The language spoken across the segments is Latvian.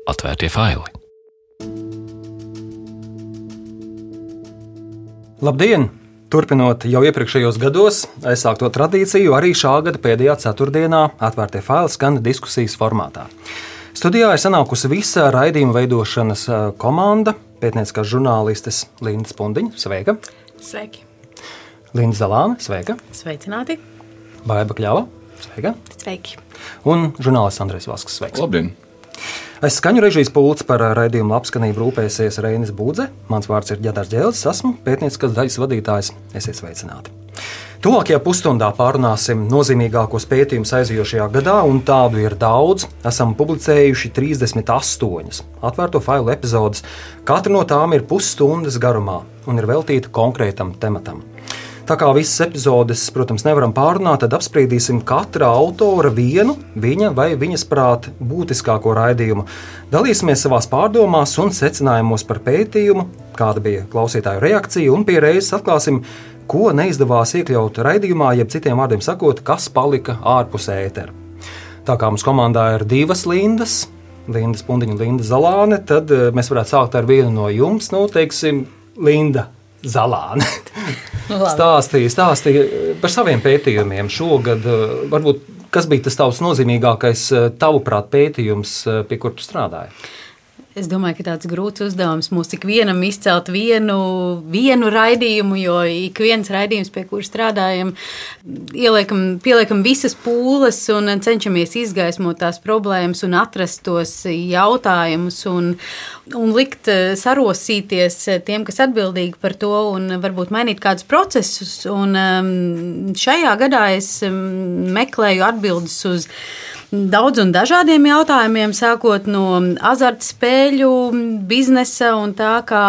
Atvērtie faili. Labdien! Turpinot jau iepriekšējos gados aizsākto tradīciju, arī šā gada pēdējā ceturtdienā Atvērtie faili skan diskusijas formātā. Studijā ir sanākusi visa raidījuma veidošanas komanda, pētnieciskās žurnālistes Linda Spundiņa, sveika! Sveiki! Linda Zalāne, sveika! Sveicināti! Baiba Kļava, sveika! Sveiki! Un žurnālists Andrejs Vasks, sveiks! Labdien! Aiz skaņu režijas pults par raidījumu labskanību rūpēsies Reinis Budze. Mans vārds ir Ģedars Ģēlis, esmu pētnieciskās daļas vadītājs. Esiet sveicināti! Tuvākajā pusstundā pārunāsim nozīmīgākos pētījumus aizijošajā gadā, un tādu ir daudz. Esam publicējuši 38 atvērto failu epizodes. Katra no tām ir pusstundas garumā un ir veltīta konkrētam tematam. Tā kā visas epizodes, protams, nevaram pārunāt, tad apspriedīsim katra autora vienu, viņa vai viņas prāt būtiskāko raidījumu. Dalīsimies savās pārdomās un secinājumos par pētījumu, kāda bija klausītāju reakcija, un pie reizes atklāsim, ko neizdevās iekļaut raidījumā, jeb citiem vārdiem sakot, kas palika ārpus ētera. Tā kā mums komandā ir divas Lindas, Linda Spundiņa un Linda Zalāne, tad mēs varētu sākt ar vienu no jums, teiksim, Linda Zalāne. Stāstīja par saviem pētījumiem šogad. Varbūt, kas bija tas tavs nozīmīgākais, tavuprāt, pētījums, pie kur tu strādāji? Es domāju, ka tāds grūts uzdevums mums ik vienam izcelt vienu raidījumu, jo ik viens raidījums, pie kura strādājam, pieliekam visas pūles un cenšamies izgaismot tās problēmas un atrast tos jautājumus un likt sarosīties tiem, kas atbildīgi par to un varbūt mainīt kādus procesus. Un šajā gadā es meklēju atbildes uz daudz un dažādiem jautājumiem, sākot no azartspēļu biznesa un tā, kā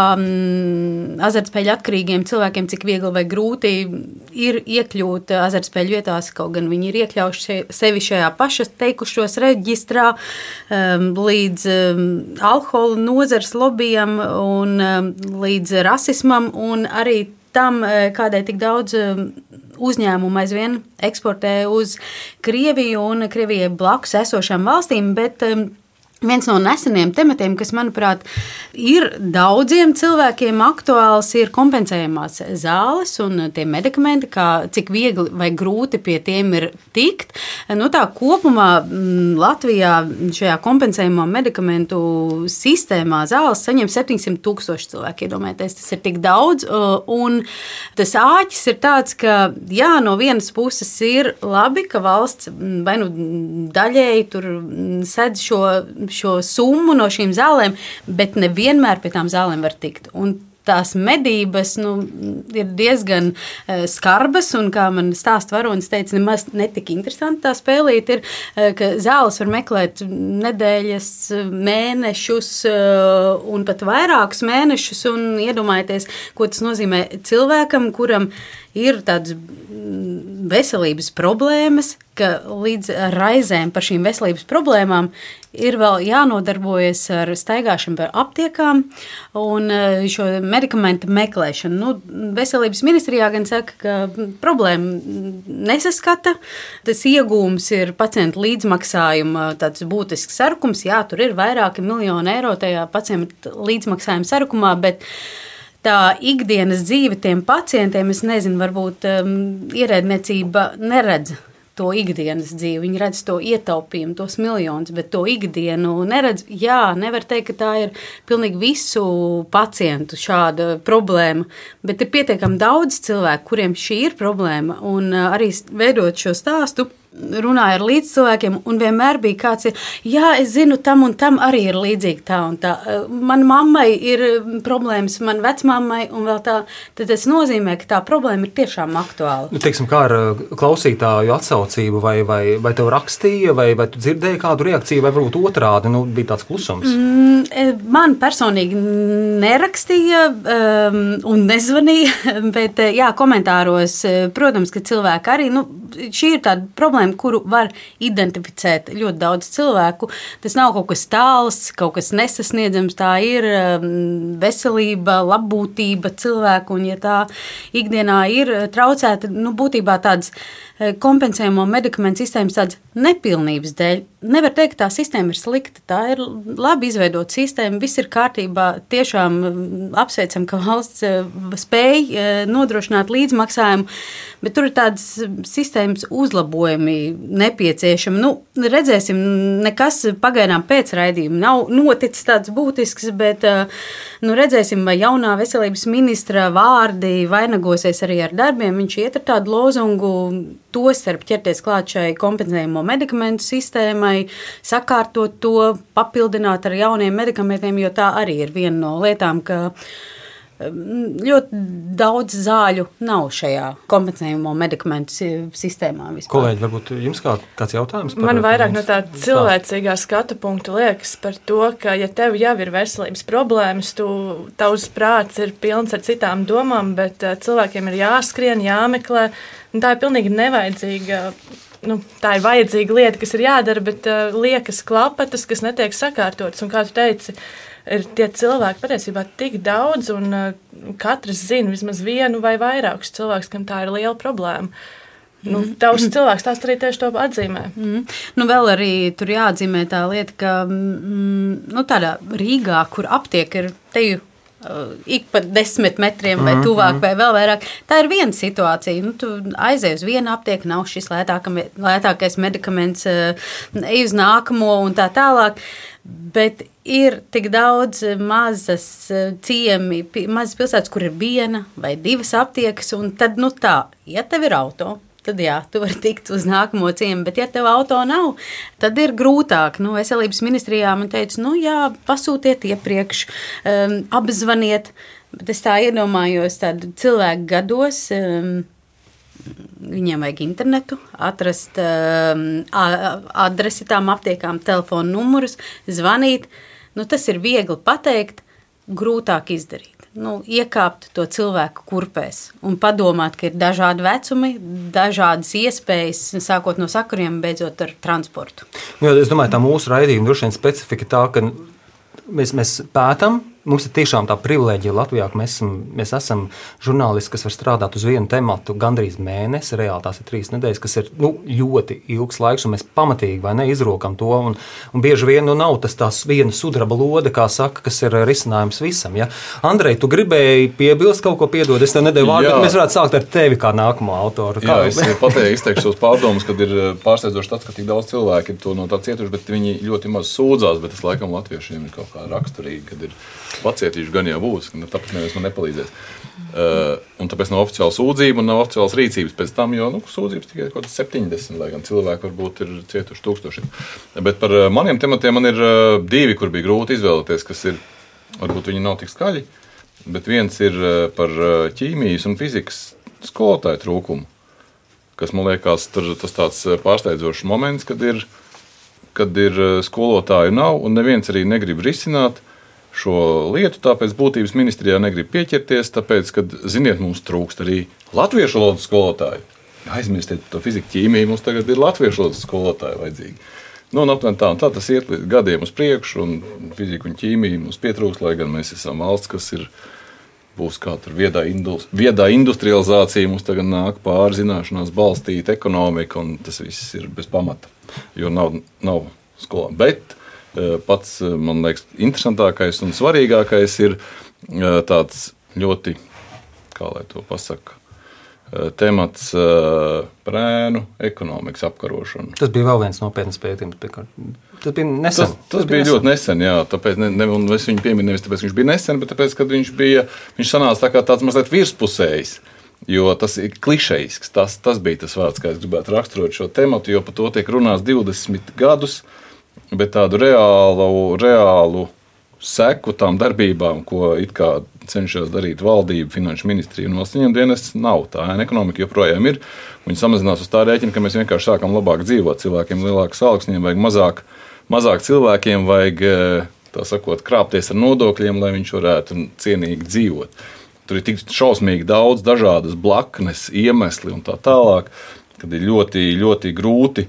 azartspēļu atkarīgiem cilvēkiem, cik viegli vai grūti ir iekļūt azartspēļu vietās, kaut gan viņi ir iekļauši sevi šajā paša teikušos reģistrā, līdz alkohola nozares lobbyam un līdz rasismam un arī tam, kādēļ tik daudz uzņēmumu aizvien eksportē uz Krieviju un Krievijai blakus esošām valstīm, bet viens no neseniem tematiem, kas, manuprāt, ir daudziem cilvēkiem aktuāls, ir kompensējamās zāles un tie medikamenti, cik viegli vai grūti pie tiem ir tikt. Tā kopumā Latvijā šajā kompensējamo medikamentu sistēmā zāles saņem 700,000 cilvēku. Iedomājieties, tas ir tik daudz, un tas āķis ir tāds, ka jā, no vienas puses ir labi, ka valsts vai daļēji tur sedz šo summu no šīm zālēm, bet nevienmēr pie tām zālēm var tikt. Un tās medības ir diezgan skarbas, un kā man stāsta varonis teica, nemaz netik interesanti tā spēlīt ir, ka zāles var meklēt nedēļas, mēnešus un pat vairākus mēnešus, un iedomājieties, ko tas nozīmē cilvēkam, kuram ir tādas veselības problēmas, ka līdz raizēm par šīm veselības problēmām ir vēl jānodarbojas ar staigāšanu par aptiekām un šo medikamentu meklēšanu. Veselības ministrijā gan saka, ka problēma nesaskata. Tas iegūms ir pacientu līdzmaksājuma tāds būtisks sarukums. Jā, tur ir vairāki miljoni eiro tajā pacientu līdzmaksājuma sarukumā, bet tā ikdienas dzīve tiem pacientiem, es nezinu, varbūt ierēdniecība neredz to ikdienas dzīvi. Viņi redz to ietaupījumu, tos miljonus, bet to ikdienu neredz. Jā, nevar teikt, ka tā ir pilnīgi visu pacientu šāda problēma, bet ir pietiekami daudz cilvēku, kuriem šī ir problēma, un arī veidot šo stāstu, runāju ar līdzcilvēkiem, un vienmēr bija kāds, jā, es zinu, tam un tam arī ir līdzīgi tā un tā. Man mammai ir problēmas, man vecmammai un vēl tā, tad tas nozīmē, ka tā problēma ir tiešām aktuāla. Teiksim, kā ar klausītāju atsaucību, vai tev rakstīja, vai tu dzirdēji kādu reakciju, vai varbūt otrādi, bija tāds klusums? Man personīgi nerakstīja un nezvanīja, bet jā, komentāros, protams, ka cilvēki arī, šī ir tāda problēma, kuru var identificēt ļoti daudz cilvēku. Tas nav kaut kas tāls, kaut kas nesasniedzams, tā ir veselība, labbūtība cilvēku, un ja tā ikdienā ir traucēta, būtībā tādas kompensējamo medikamentu sistēmas tādas nepilnības dēļ. Nevar teikt, ka tā sistēma ir slikta. Tā ir labi izveidota sistēma, viss ir kārtībā. Tiešām apsveicam, ka valsts spēj nodrošināt līdzmaksājumu, bet tur ir tādas sistēmas uzlabojumi nepieciešami. Nu, redzēsim, nekas pagaidām pēc raidījuma nav noticis tāds būtisks, bet redzēsim, vai jaunā veselības ministra vārdi vainagosies arī ar darbiem. Viņš iet ar tādu lozungu, tostarp ķerties klāt šai kompensējamo medikamentu sistēmai, sakārtot to, papildināt ar jauniem medikamentiem, jo tā arī ir viena no lietām, ka ļoti daudz zāļu nav šajā kompensējamo medikamentu sistēmā vispār. Kolēģi, varbūt jums kāds jautājums? Man vairāk no tā cilvēcīgā skatu punktu liekas par to, ka ja tev jau ir veselības problēmas, tavs prāts ir pilns ar citām domām, bet cilvēkiem ir jāskrien, jāmeklē. Tā ir pilnīgi nevajadzīga, tā ir vajadzīga lieta, kas ir jādara, bet liekas klapatas, kas netiek sakārtotas. Un kā tu teici, ir tie cilvēki patiesībā tik daudz, un katrs zina vismaz vienu vai vairākus cilvēkus, kam tā ir liela problēma. Tavs cilvēks tās arī tieši to atzīmē. Vēl arī tur jāatzīmē tā lieta, ka tādā Rīgā, kur aptiek ir teju ik pa 10 metriem vai tuvāk vai vēl vairāk. Tā ir viena situācija. Tu aizej uz vienu aptieku, nav šis lētākais medikaments, ej uz nākamo un tā tālāk. Bet ir tik daudz mazas ciemi, mazas pilsētas, kur ir viena vai divas aptiekas, un tad, ja tev ir auto, tad jā, tu vari tikt uz nākamo ciemu, bet ja tev auto nav, tad ir grūtāk. Veselības ministrijā man teica, pasūtiet iepriekš, apzvaniet, bet es tā iedomājos tādu cilvēku gados, viņiem vajag internetu, atrast adresi tām aptiekām, telefonu numurus, zvanīt, tas ir viegli pateikt, grūtāk izdarīt. Iekāpt to cilvēku kurpēs un padomāt, ka ir dažādi vecumi, dažādas iespējas, sākot no sakariem, beidzot ar transportu. Es domāju, tā mūsu raidījuma droši vien specifika tā, ka mēs pētam. Mums ir tiešām tā privilēģija Latvijā, ka mēs esam žurnālisti, kas var strādāt uz vienu tematu gandrīz mēnesi. Reāli tās ir 3 nedēļas, kas ir ļoti ilgs laiks, un mēs pamatīgi izrokam to. Un bieži vien nav tās viena sudraba lode, kā saka, kas ir risinājums visam. Ja? Andrej, tu gribēji piebilst kaut ko, piedod, es tev nedēļu vārdu, bet mēs varētu sākt ar tevi kā nākamo autoru. Es izteikšos pārdomas, kad ir pārsteidzoši tāds, ka tik daudz cilvēki ir to no tā cietuši, bet viņi ļoti maz sūdzās, bet tas laikam latviešiem ir kaut kā raksturīgi, kad ir pacietīši gan jau būs, tāpēc neviens man nepalīdzēs. Un tāpēc nav oficiāla sūdzība un nav oficiālas rīcības pēc tam, jo sūdzības tikai kaut kāds 70, lai gan cilvēki varbūt ir cietuši 1000. Bet par maniem tematiem man ir 2, kur bija grūti izvēlēties, kas ir, varbūt viņi nav tik skaļi, bet viens ir par ķīmijas un fizikas skolotāju trūkumu, kas man liekas tas tāds pārsteidzošs moments, kad ir skolotāju nav un neviens arī negrib risināt šo lietu, tāpēc būtības ministrijā negrib pieķerties, tāpēc, kad, ziniet, mums trūkst arī latviešu valodas skolotāju. Aizmirstiet to fiziku, ķīmiju, mums tagad ir latviešu valodas skolotāju vajadzīgi. Un aptuveni tā tas iet gadiem uz priekšu, un fiziku un ķīmiju mums pietrūkst, lai gan mēs esam valsts, kas būs kā tur viedā industrializācija, mums tagad nāk pāri zināšanās balstīt ekonomika, un tas viss ir bez pamata, jo nav skolā. Bet pats, man liekas, interesantākais un svarīgākais ir tāds ļoti, kā lai to pasaka, temats par ēnu ekonomikas apkarošanu. Tas bija vēl viens nopietns pētījums. Tas bija nesen. Tas bija ļoti nesen, jā. Tāpēc un es viņu pieminu nevis tāpēc, ka viņš bija nesen, bet tāpēc, kad viņš sanāca tā kā tāds mazliet virspusējs. Jo tas ir klišejisks. Tas bija tas vārds, kā es gribētu raksturot šo tematu, jo par to tiek runāts 20 gadus. Bet tādu reālu seku tām darbībām, ko it kā cenšas darīt valdība, finanšu ministrija un valsts ieņemdienests, nav. Tā ēna ekonomika joprojām ir. Viņi samazinās uz tā rēķina, ka mēs vienkārši sākam labāk dzīvot. Cilvēkiem lielākas algas, viņiem vajag mazāk cilvēkiem vajag, tā sakot, krāpties ar nodokļiem, lai viņš varētu cienīgi dzīvot. Tur ir tik šausmīgi daudz dažādas blaknes, iemesli un tā tālāk, kad ir ļoti, ļoti grūti.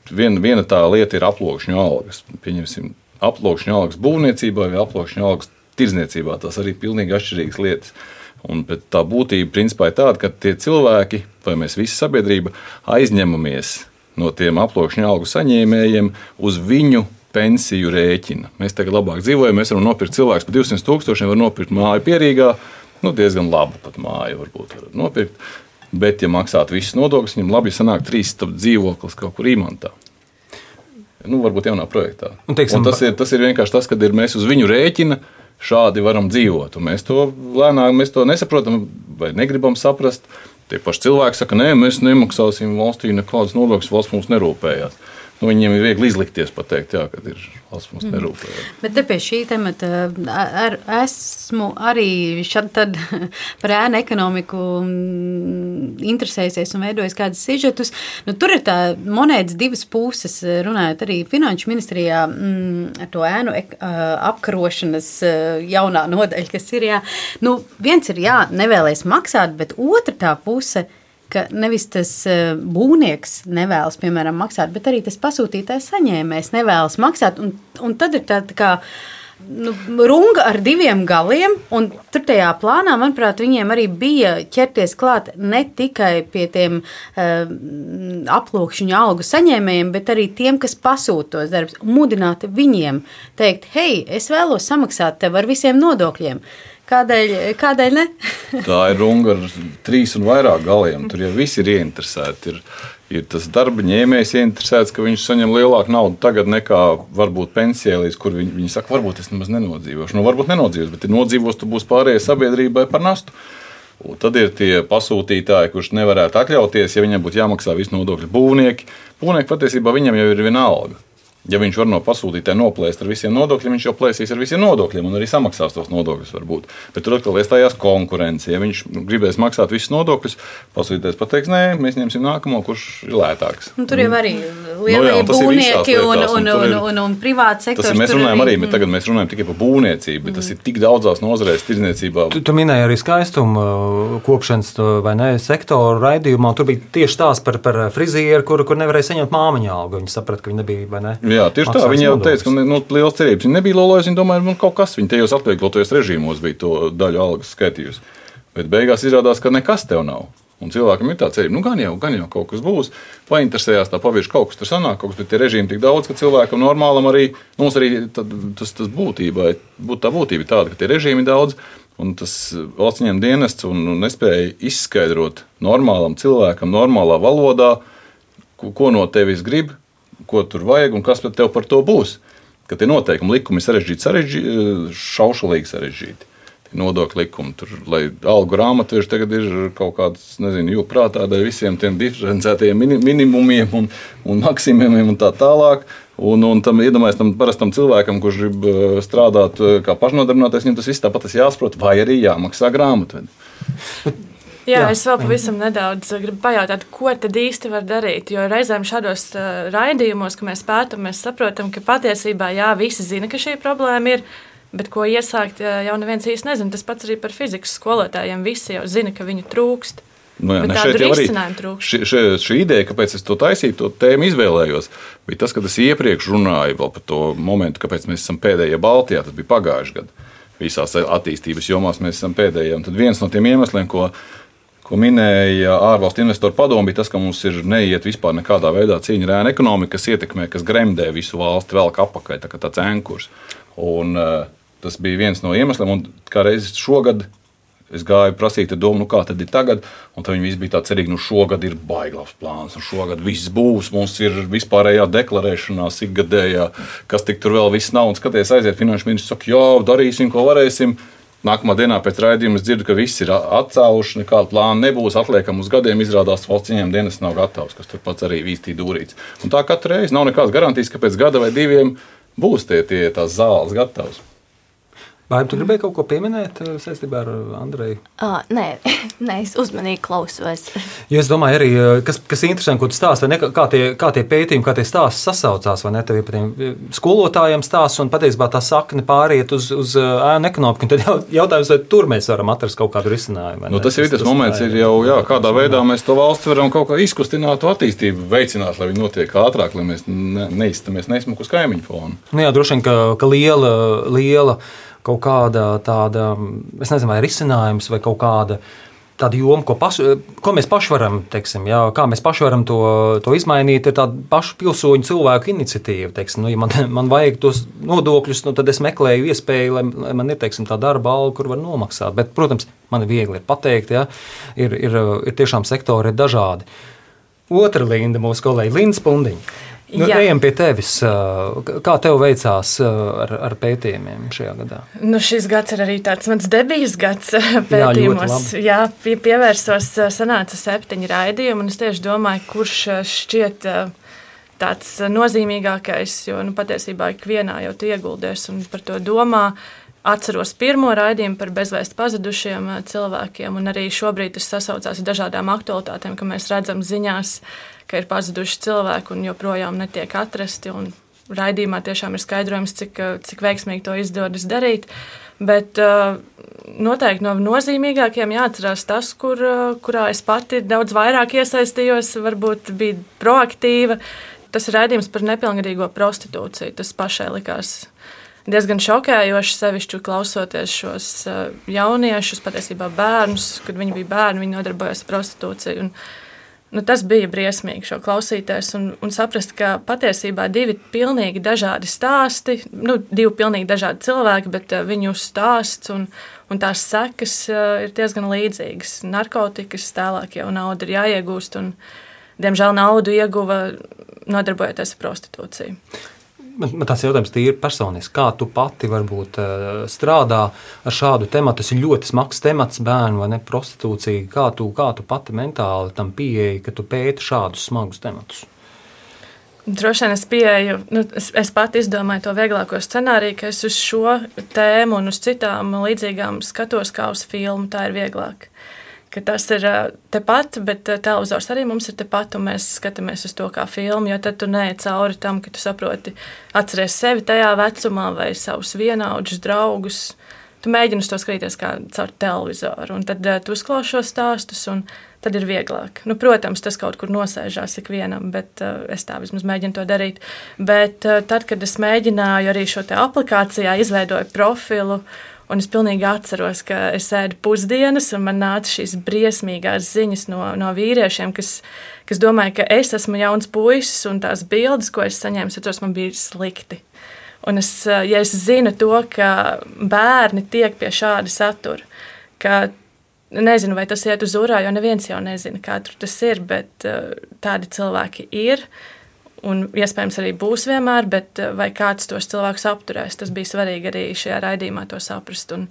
Viena tā lieta ir aploksņu algas. Pieņemsim, aploksņu algas būvniecībā vai aploksņu algas tirdzniecībā. Tas arī pilnīgi atšķirīgas lietas. Un tā būtība principā ir tāda, ka tie cilvēki, vai mēs visi sabiedrība, aizņemamies no tiem aploksņa algu saņēmējiem uz viņu pensiju rēķina. Mēs tagad labāk dzīvojam, mēs varam nopirkt cilvēks par 200,000, var nopirkt māju Pierīgā, diezgan labu pat māju varbūt var nopirkt. Bet, ja maksātu visus nodokļus, viņam labi sanāk 3 dzīvoklis kaut kur Īmantā. Varbūt jaunā projektā. Un tas ir vienkārši tas, kad mēs uz viņu rēķina šādi varam dzīvot. Un mēs to lēnāk nesaprotam vai negribam saprast. Tie paši cilvēki saka, nē, mēs nemaksāsim valstī nekādas nodokļus, valsts mums nerūpējās. Viņiem ir viegli izlikties pateikt, jā, kad ir valsts mums nerūpējās. Bet te pie šī temata esmu arī tad par ēnu ekonomiku interesējusies un veidojis kādus sižetus. Tur ir tā monētas divas puses, runājot arī Finanšu ministrijā ar to ēnu apkarošanas jaunā nodaļa, kas ir, jā. Viens ir, jā, nevēlēs maksāt, bet otra tā puse, ka nevis tas būvnieks nevēlas, piemēram, maksāt, bet arī tas pasūtītājs saņēmējs nevēlas maksāt. Un tad ir tā kā runga ar diviem galiem, un tur tajā plānā, manuprāt, viņiem arī bija ķerties klāt ne tikai pie tiem aploksņu algu saņēmējiem, bet arī tiem, kas pasūta tos darbus, un mudināt viņiem teikt, hei, es vēlos samaksāt tev ar visiem nodokļiem. Kādēļ ne? Tā ir runga ar 3 un vairāk galiem. Tur jau visi ir ieinteresēti. Ir tas darba ņēmējs ieinteresēts, ka viņš saņem lielāku naudu tagad nekā varbūt pensijā, līdz kur viņi saka, varbūt es nemaz nenodzīvošu. Varbūt nenodzīvos, bet ja nodzīvos, tu būs pārējai sabiedrībai par nastu. Un tad ir tie pasūtītāji, kurš nevarētu atļauties, ja viņam būtu jāmaksā visi nodokļi. Būvnieki patiesībā viņam jau ir viena alga. Ja viņš var no pasūtītāja noplēst ar visiem nodokļiem, viņš jau plēsīs ar visiem nodokļiem un arī samaksās tos nodokļus varbūt. Bet tur atkal iestājās konkurence. Ja viņš gribēs maksāt visus nodokļus, pasūtītājs pateiks, nē, mēs ņemsim nākamo, kurš ir lētāks. Tur jau arī lielie būvnieki un privāts sektors. Mēs runājam arī, bet tagad mēs runājam tikai par būvniecību, bet tas ir tik daudzās nozarēs tirdzniecībā. Tu minēji arī skaistumu kopšanas vai ne sektoru raidījumā. Tur bija tieši tās par frizieru, kur nevarēja saņemt māmiņa algu. Viņi saprata, ka viņi nebija, vai ne? Jā, tieši tā. Viņa jau teica, ka liels cerības. Viņa nebija lolojusi, viņa domāja, kaut kas viņa tajos atvieglotajos režīmos bija to daļu algas skaitījusi. Bet beigās izrādās, ka nekas tev nav. Un cilvēkam ir tā cerība, gan jau kaut kas būs. Painteresējās tā pavirši, kaut kas tur sanāk, kaut kas, bet tie režīmi tik daudz, ka cilvēkam normālam arī, mums arī tas būtība tāda, ka tie režīmi daudz, un tas valsts ieņēmuma dienests un nespēja izskaidrot normālam cilvēkam, normālā valodā, ko no tevis grib, ko tur vajag un kas tev par to būs. Ka tie noteikumi likumi sarežģīti, šaušalīgi sarežģīti. Nodokļu likumi, tur, lai algu grāmatveži tagad ir kaut kāds, jūprātā dēļ visiem tiem diferencētajiem minimumiem un maksimumiem un tā tālāk. Un tam iedomājas tam parastam cilvēkam, kurš grib strādāt kā pašnodarbinātais, viņam tas viss tāpat jāsaprot, vai arī jāmaksā grāmatvedi. Jā, es vēl pavisam nedaudz gribu pajautāt, ko tad īsti var darīt. Jo reizēm šādos raidījumos, ka mēs pētam, mēs saprotam, ka patiesībā visi zina, ka šī problēma ir, bet ko iesākt, jau neviens īsti nezina. Tas pats arī par fizikas skolotājiem. Visi jau zina, ka viņu trūkst. Bet tādu risinājumu trūkst. Šī ideja, kāpēc es to taisīju, to tēmu izvēlējos, bija tas, ka es iepriekš runāju vēl par to momentu, kāpēc mēs esam pēdējie Baltijā. Tas bija pagājuši gadu. Visās attīstības jomās mēs esam pēdējie. Un tad viens no tiem iemesliem, ko minēja ārvalstu investoru padomu, bija tas, ka mums ir neiet vispār nekādā veidā cīņa ar ēnu ekonomiku, kas ietekmē, kas gremdē visu valsti velk apakaļ, tā kā tāds enkurs. Un tas bija viens no iemesliem, un kā reiz šogad es gāju prasīt domu, kā tad ir tagad, un tad viņi visi bija tā cerīgi, šogad ir baiglavs plāns, un šogad viss būs, mums ir vispārējā deklarēšanās ikgadējā, kas tik tur vēl viss nav, un skaties aiziet finanšu ministrs, saka, jā, darīsim, ko varēsim. Nākamā dienā pēc raidījuma es dzirdu, ka viss ir atcēluši, nekāda plāna nebūs, atliekam uz gadiem, izrādās valsts ieņēmuma dienests nav gatavs, kas tur pats arī vīstī dūrīts. Un tā katru reizi nav nekādas garantijas, ka pēc gada vai diviem būs tās zāles gatavas. Vai tu gribēji kaut ko pieminēt saistībā ar Andreju? Nē, es uzmanīgi klausos. Jo es domāju, arī, kas ir interesanti, ko tu stāsti, kā tie pētījumi, kā tie stāsti sasaucās, vai ne? Tev ir par tiem skolotājiem stāsts, un patiesībā tā sakne pāriet uz ēnu ekonomiku. Un tad jautājums, vai tur mēs varam atrast kaut kādu risinājumu? Tas jau ir tas moments, kādā veidā mēs to valsti varam kaut kā izkustināt, to attīstību veicināt, lai viņi notiek ātrāk, lai mēs neizstamies neizsmuku uz kaimiņu fonu. Jā, droši vien, ka liela kaut kāda tāda, es nezinu, vai risinājums vai kaut kāda tāda joma, ko mēs paši varam, teiksim, jā, kā mēs paši varam to izmainīt, ir tāda pašu pilsoņu cilvēku iniciatīva. Teiksim, ja man vajag tos nodokļus, tad es meklēju iespēju, lai man ir, teiksim, tā darba alga, kur var nomaksāt. Bet, protams, man ir viegli pateikt, jā, ir tiešām sektori ir dažādi. Otra Linda, mūsu kolēģi Linda Spundiņa. Ejam pie tevis. Kā tev veicās ar pētījumiem šajā gadā? Šis gads ir arī tāds mans debijas gads pētījumos. Jā, pievērsos, sanāca 7 raidījumi, un es tieši domāju, kurš šķiet tāds nozīmīgākais, jo patiesībā ikvienā jau tu ieguldies un par to domā. Atceros pirmo raidījumu par bezvēsti pazudušiem cilvēkiem, un arī šobrīd tas sasaucās ar dažādām aktualitātēm, ka mēs redzam ziņās, ka ir pazuduši cilvēki un joprojām netiek atrasti. Raidījumā tiešām ir skaidrojums, cik veiksmīgi to izdodas darīt. Bet noteikti no nozīmīgākiem jāatcerās tas, kurā es pati daudz vairāk iesaistījos, varbūt bija proaktīva. Tas ir raidījums par nepilngadīgo prostitūciju. Tas pašai likās diezgan šokējoši, sevišķi klausoties šos jauniešus, patiesībā bērnus, kad viņi bija bērni, viņi nodarbojās ar prostitūciju. Tas bija briesmīgi šo klausīties un saprast, ka patiesībā 2 pilnīgi dažādi stāsti, 2 pilnīgi dažādi cilvēki, bet viņu stāsts un tās sekas ir diezgan līdzīgas. Narkotikas tālāk jau nauda ir jāiegūst un, diemžēl, naudu ieguva nodarbojoties ar prostitūciju. Man tāds jautājums tīri personiski. Kā tu pati varbūt strādā ar šādu tematu? Tas ir ļoti smags temats, bērnu vai ne prostitūcija. Kā tu pati mentāli tam pieeji, ka tu pēti šādus smagus tematus? Droši vien es pieeju, es pati izdomāju to vieglāko scenāriju, ka es uz šo tēmu un uz citām līdzīgām skatos kā uz filmu, tā ir vieglāk. Ka tas ir tepat, bet televizors arī mums ir tepat, un mēs skatāmies uz to kā filmu, jo tad tu neej cauri tam, ka tu saproti, atceries sevi tajā vecumā vai savus vienaudžus, draugus. Tu mēģini uz to skatīties kā caur televizoru, un tad tu uzklausi šos stāstus, un tad ir vieglāk. Protams, tas kaut kur nosēžās ikvienam, bet es tā vismaz mēģinu to darīt. Bet tad, kad es mēģināju arī šo te aplikācijā, izveidoju profilu, un es pilnīgi atceros, ka es ēdu pusdienas, un man nāca šīs briesmīgās ziņas no vīriešiem, kas domāja, ka es esmu jauns puisis, un tās bildes, ko es saņēmu, atceros, man bija slikti. Un ja es zinu to, ka bērni tiek pie šāda satura, ka nezinu, vai tas iet uz urā, jo neviens jau nezina, kā tur tas ir, bet tādi cilvēki ir. Un iespējams arī būs vienmēr, bet vai kāds tos cilvēkus apturēs, tas bija svarīgi arī šajā raidījumā to saprast. Un,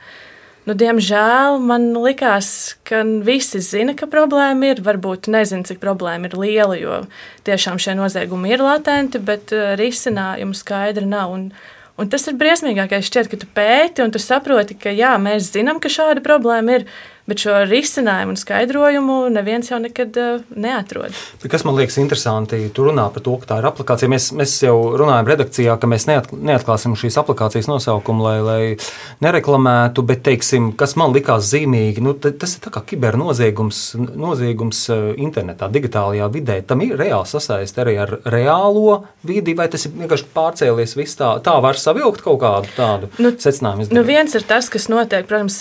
diemžēl man likās, ka visi zina, ka problēma ir, varbūt nezina, cik problēma ir liela, jo tiešām šie noziegumi ir latenti, bet risinājumu skaidri nav. Un tas ir briesmīgākais, šķiet, ka tu pēti un tu saproti, ka jā, mēs zinām, ka šāda problēma ir, bet šo risinājumu un skaidrojumu neviens jau nekad neatrod. Kas man liekas interesanti, tu runā par to, ka tā ir aplikācija. Mēs jau runājam redakcijā, ka mēs neatklāsim šīs aplikācijas nosaukumu, lai nereklamētu, bet, teiksim, kas man likās zīmīgi, tas ir tā kā kibernoziegums internetā, digitālajā vidē. Tam ir reāli sasaist arī ar reālo vidi, vai tas ir vienkārši pārcēlies viss tā var savilkt kaut kādu tādu secinājumu izdarīt? Viens ir tas, kas notiek, protams,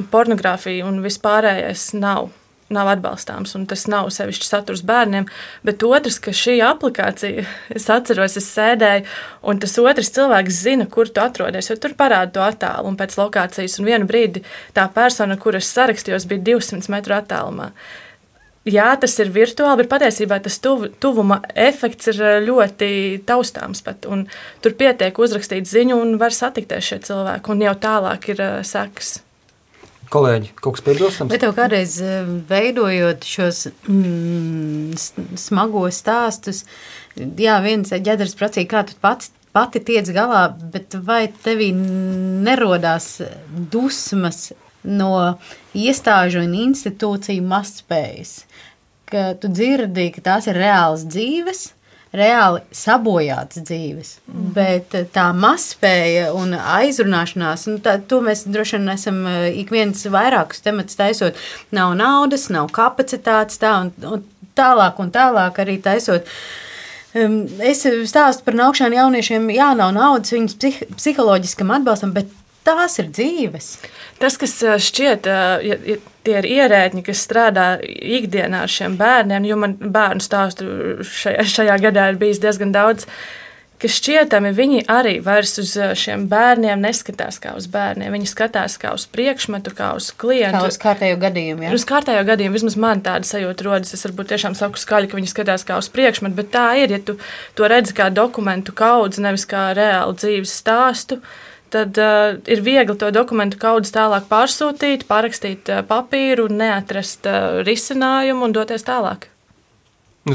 pornogrāfija un vispārējais nav atbalstāms, un tas nav sevišķi saturs bērniem, bet otrs, ka šī aplikācija, es atceros, es sēdēju, un tas otrs cilvēks zina, kur tu atrodies, jo tur parāda to attālu un pēc lokācijas, un vienu brīdi tā persona, kur es sarakstījos, bija 200 metru attālumā. Jā, tas ir virtuāli, bet patiesībā tas tuvuma efekts ir ļoti taustāms pat, un tur pietiek uzrakstīt ziņu, un var satikties šie cilvēki, un jau tālāk ir sekas. Kolēģi, kaut kas piebilstams? Bet tev kādreiz veidojot šos smagos stāstus, jā, viens ģedars pracīja, kā tu pati tiec galā, bet vai tevī nerodās dusmas no iestāžu un institūciju mazspējas, ka tu dzirdi, ka tās ir reāls dzīves, reāli sabojātas dzīves, bet tā mazspēja un aizrunāšanās, to mēs droši vien esam ik viens vairākus tematus taisot, nav naudas, nav kapacitātes, tā un tālāk arī taisot. Es stāstu par naukšanu jauniešiem, jā, nav naudas viņas psiholoģiskam atbalstam, bet tās ir dzīves. Tas, kas šķiet, ja tie ir ierēdņi, kas strādā ikdienā ar šiem bērniem, jo man bērnu stāstu šajā gadā ir bijis diezgan daudz, ka šķietami viņi arī vairs uz šiem bērniem neskatās kā uz bērniem. Viņi skatās kā uz priekšmetu, kā uz klientu. Kā uz kārtējo gadījumu, jā? Uz kārtējo gadījumu, vismaz man tāda sajūta rodas. Es varbūt tiešām saku skaļi, ka viņi skatās kā uz priekšmetu, bet tā ir, ja tu to redzi kā dokumentu kaudzi, nevis kā reālu dzīves stāstu, tad ir viegli to dokumentu kaudzi tālāk pārsūtīt, parakstīt papīru, neatrast risinājumu un doties tālāk.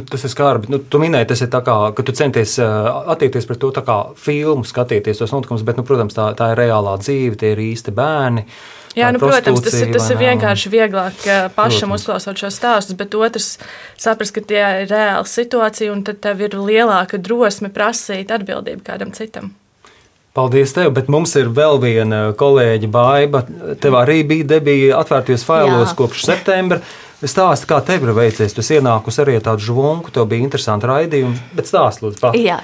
Tas ir skarbi. Tu minēji, tas ir tā kā, ka tu centies attiekties pret to tā kā filmu, skatīties tos notikumus, bet, protams, tā ir reālā dzīve, tie ir īsti bērni. Jā, protams, tas ir vienkārši vieglāk pašam uzklausot šo stāstus, bet otrs saprast, ka tie ir reāla situācija, un tad tev ir lielāka drosme prasīt atbildību kādam citam. Paldies tev, bet mums ir vēl viena kolēģa Baiba. Tev arī bija debija atvērtajos failos kopš septembra. Stāsti, kā tev ir veicies? Tu ienākusi arī tādu žvunku, tev bija interesanti raidījumi, bet stāsti, lūdzu, pat. Jā,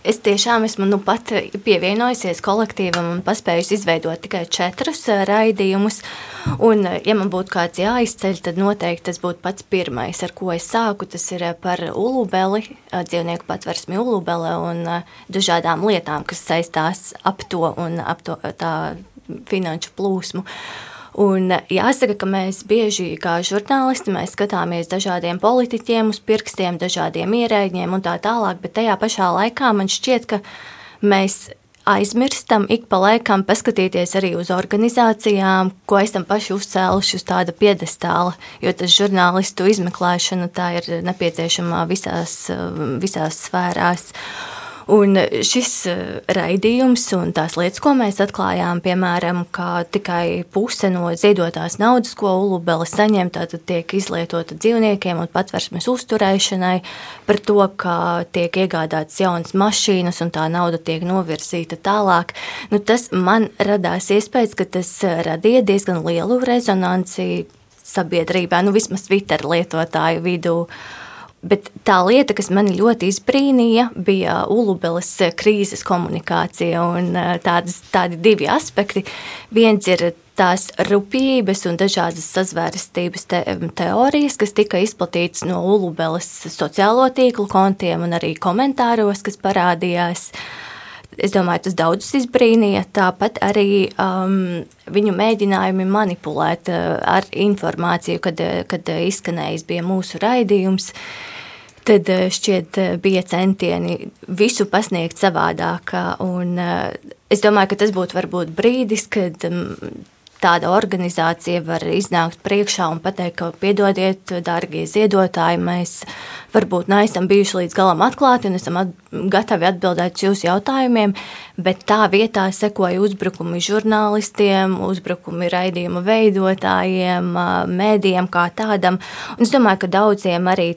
es tiešām esmu pat pievienojusies kolektīvam un paspējusi izveidot tikai 4 raidījumus. Un, ja man būtu kāds jāizceļ, tad noteikti tas būtu pats pirmais, ar ko es sāku. Tas ir par ulubeli, dzīvnieku patversmi ulubele un dažādām lietām, kas saistās ap to un ap to tā finanšu plūsmu. Un jāsaka, ka mēs bieži kā žurnālisti mēs skatāmies dažādiem politiķiem uz pirkstiem, dažādiem ierēģiem un tā tālāk, bet tajā pašā laikā man šķiet, ka mēs aizmirstam ik pa laikam paskatīties arī uz organizācijām, ko esam paši uzcēluši uz tāda piedestāla, jo tas žurnālistu izmeklēšana tā ir nepieciešama visās sfērās. Un šis raidījums un tās lietas, ko mēs atklājām, piemēram, ka tikai puse no ziedotās naudas, ko ulubele saņem, tātad tiek izlietota dzīvniekiem un patversmes uzturēšanai, par to, ka tiek iegādātas jaunas mašīnas un tā nauda tiek novirzīta tālāk. Tas man radās iespējas, ka tas radīja diezgan lielu rezonanci sabiedrībā, vismaz Twitter lietotāju vidū. Bet tā lieta, kas mani ļoti izbrīnīja, bija ulubeles krīzes komunikācija un tādi 2 aspekti. Viens ir tās rupjības un dažādas sazvērestības teorijas, kas tika izplatītas no ulubeles sociālo tīklu kontiem un arī komentāros, kas parādījās. Es domāju, tas daudzus izbrīnīja, tāpat arī viņu mēģinājumi manipulēt ar informāciju, kad izskanējis bija mūsu raidījums. Tad šķiet bija centieni visu pasniegt savādāk. Un es domāju, ka tas būtu varbūt brīdis, kad tāda organizācija var iznākt priekšā un pateikt, ka piedodiet, dārgie ziedotāji, mēs varbūt neesam bijuši līdz galam atklāti un esam gatavi atbildēt uz jūsu jautājumiem, bet tā vietā sekoja uzbrukumi žurnālistiem, uzbrukumi raidījuma veidotājiem, mēdījiem kā tādam. Un es domāju, ka daudziem arī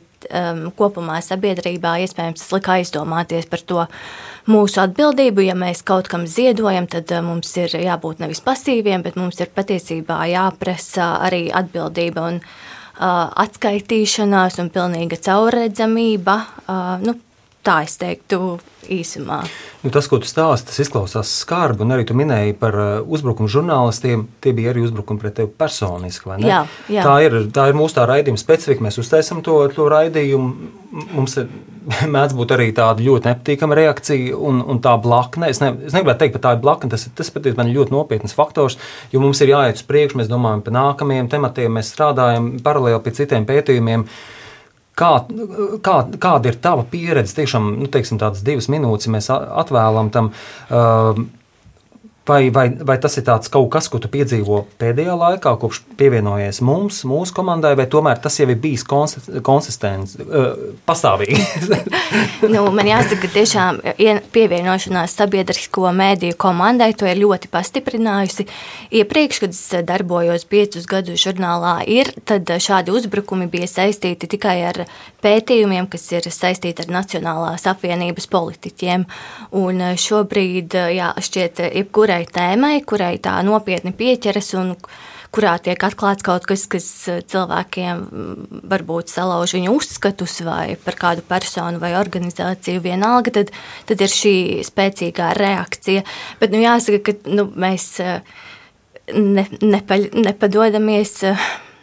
kopumā sabiedrībā iespējams tas lika aizdomāties par to mūsu atbildību. Ja mēs kaut kam ziedojam, tad mums ir jābūt nevis pasīviem, bet mums ir patiesībā jāprasa arī atbildība un atskaitīšanās un pilnīga caurredzamība. Tā es teiktu īsumā. Tas, ko tu stāsti, tas izklausās skarbi, un arī tu minēji par uzbrukumu žurnālistiem. Tie bija arī uzbrukumi pret tevi personiski, vai ne? Jā. Tā ir mūsu tā raidījuma specifika. Mēs uztaisam to raidījumu. Mums mēdz būt arī tāda ļoti nepatīkama reakcija un tā blakne. Es negribētu teikt, ka tā ir blakne. Tas patiesībā ir ļoti nopietns faktors, jo mums ir jāiet uz priekšu, mēs domājam par nākamajiem tematiem, mēs strādājam paralēli pie citiem pētījumiem. Kāda ir tava pieredze? Tiešām, teiksim, tādas 2 minūtes mēs atvēlam tam. Vai tas ir kaut kas, ko tu piedzīvo pēdējā laikā, kopš pievienojies mūsu komandai, vai tomēr tas jau ir bijis konsistents, pastāvīgi? Man jāsaka, ka tiešām pievienošanās sabiedrisko mēdīju komandai to ir ļoti pastiprinājusi. Iepriekš, kad es darbojos 5 gadus žurnālā, tad šādi uzbrukumi bija saistīti tikai ar pētījumiem, kas ir saistīti ar Nacionālās apvienības politiķiem. Un šobrīd, šķiet, jebkurai tēmai, kurai tā nopietni pieķeras un kurā tiek atklāts kaut kas, kas cilvēkiem varbūt salauž viņu uzskatus vai par kādu personu vai organizāciju vienalga, tad ir šī spēcīgā reakcija. Bet jāsaka, ka mēs nepadodamies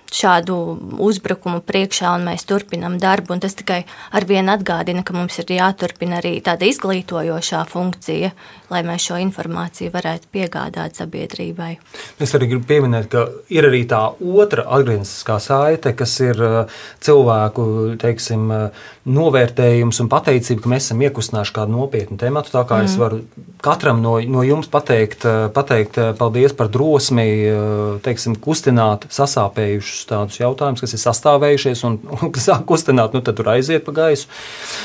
šādu uzbrukumu priekšā un mēs turpinam darbu, un tas tikai arvien atgādina, ka mums ir jāturpina arī tāda izglītojošā funkcija, lai mēs šo informāciju varētu piegādāt sabiedrībai. Es arī gribu pieminēt, ka ir arī tā otra atgriezniskā saite, kas ir cilvēku, teiksim, novērtējums un pateicība, ka mēs esam iekustinājuši kādu nopietnu tematu, tā kā es varu katram no jums pateikt paldies par drosmi, teiksim, kustināt sasāpējušus tādus jautājumus, kas ir sastāvējušies un kas sāk kustināt, tad tur aiziet pa gaisu.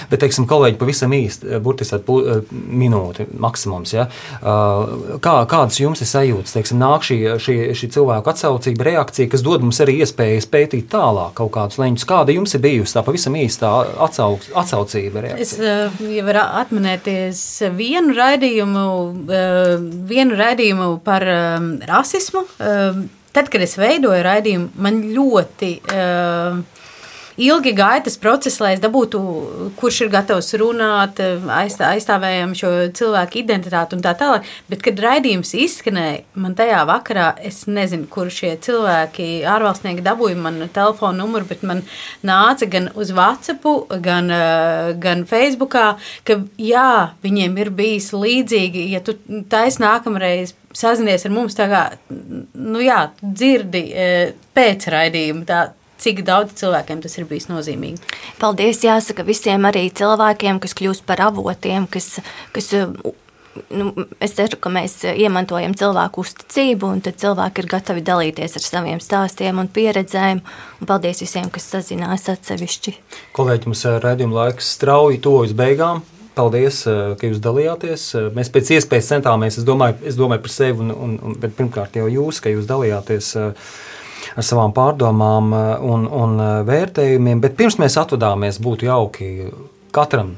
Bet, teiksim, kolēģi, pavisam īsti, burtiski minūti maksimums, ja? Kādas jums ir sajūtas? Teiksim, nāk šī cilvēku atsaucība, reakcija, kas dod mums arī iespējas pētīt tālāk kaut kādus leņķus. Kāda jums ir bijusi tā pavisam īsta atsaucība, reakcija? Es varu atminēties vienu raidījumu par rasismu. Tad, kad es veidoju raidījumu, man ļoti ilgi gāja tas process, lai es dabūtu, kurš ir gatavs runāt, aizstāvējam šo cilvēku identitāti un tā tālāk. Bet, kad raidījums izskanēja, man tajā vakarā, es nezinu, kur šie cilvēki, ārvalstnieki dabūja manu telefonu numuru, bet man nāca gan uz WhatsAppu, gan Facebookā, ka jā, viņiem ir bijis līdzīgi, ja tu taisi nākamreiz sazinies ar mums, tā kā, dzirdi pēc raidījuma, cik daudz cilvēkiem tas ir bijis nozīmīgi. Paldies, jāsaka visiem arī cilvēkiem, kas kļūst par avotiem, kas es ceru, ka mēs iemantojam cilvēku uzticību, un tad cilvēki ir gatavi dalīties ar saviem stāstiem un pieredzēm, un paldies visiem, kas sazinās atsevišķi. Kolēģi, mums raidījuma laiks strauji tuvojas beigām. Paldies, ka jūs dalījāties. Mēs pēc iespējas centāmies, es domāju par sevi, bet pirmkārt jau jūs, ka jūs dalījāties ar savām pārdomām un vērtējumiem. Bet pirms mēs atvadāmies, būtu jauki katram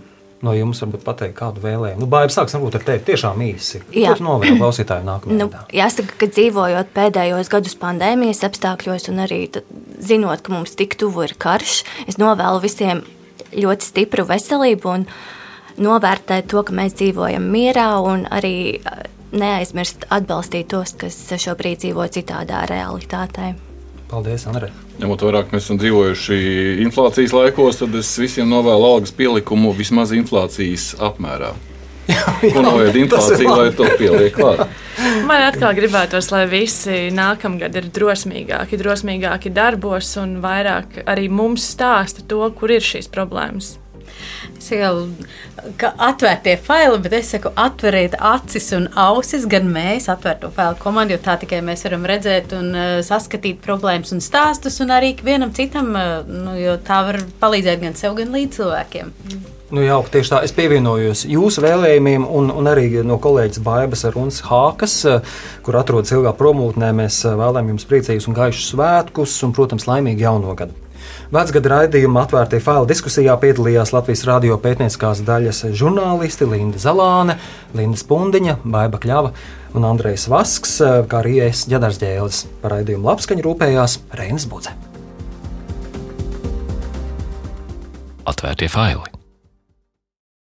no jums varbūt pateikt kādu vēlējumu. Baiba, sāksim būt ar tevi tiešām īsi. Ko tu novēli klausītāju nākamajā gadā? Jāsaka, ka dzīvojot pēdējos gadus pandēmijas apstākļos un arī zinot, ka mums tik tuvu ir karš, es novēlu visiem ļoti stipru veselību un novērtēt to, ka mēs dzīvojam mierā un arī neaizmirst atbalstīt tos, kas šobrīd dzīvo citādā realitātē. Paldies, Andrej. Ņemot vērā, ka mēs esam dzīvojuši inflācijas laikos, tad es visiem novēlu algas pielikumu vismaz inflācijas apmērā. Ko noved inflācija, lai to pieliek klāt? Man atkal gribētos, lai visi nākamgad ir drosmīgāki darbos un vairāk arī mums stāsta to, kur ir šīs problēmas. Es saku, ka atvērtie faili, bet es saku, atveriet acis un ausis, gan mēs atvērto failu komandu, jo tā tikai mēs varam redzēt un saskatīt problēmas un stāstus, un arī vienam citam, jo tā var palīdzēt gan sev, gan līdz cilvēkiem. Jauki, tieši tā. Es pievienojos jūsu vēlējumiem un arī no kolēģis Baibas Runas Hākas, kur atrodas ilgā promūtnē. Mēs vēlam jums priecīgus un gaišus svētkus un, protams, laimīgu jauno gadu. Vecgada raidījuma atvērtie faili diskusijā piedalījās Latvijas radio pētnieciskās daļas žurnālisti Linda Zalāne, Linda Spundiņa, Baiba Kļava un Andrejs Vasks, kā arī es, Ģedars Ģēlis. Par raidījumu labskaņu rūpējās Reinis Budze. Atvērtie faili.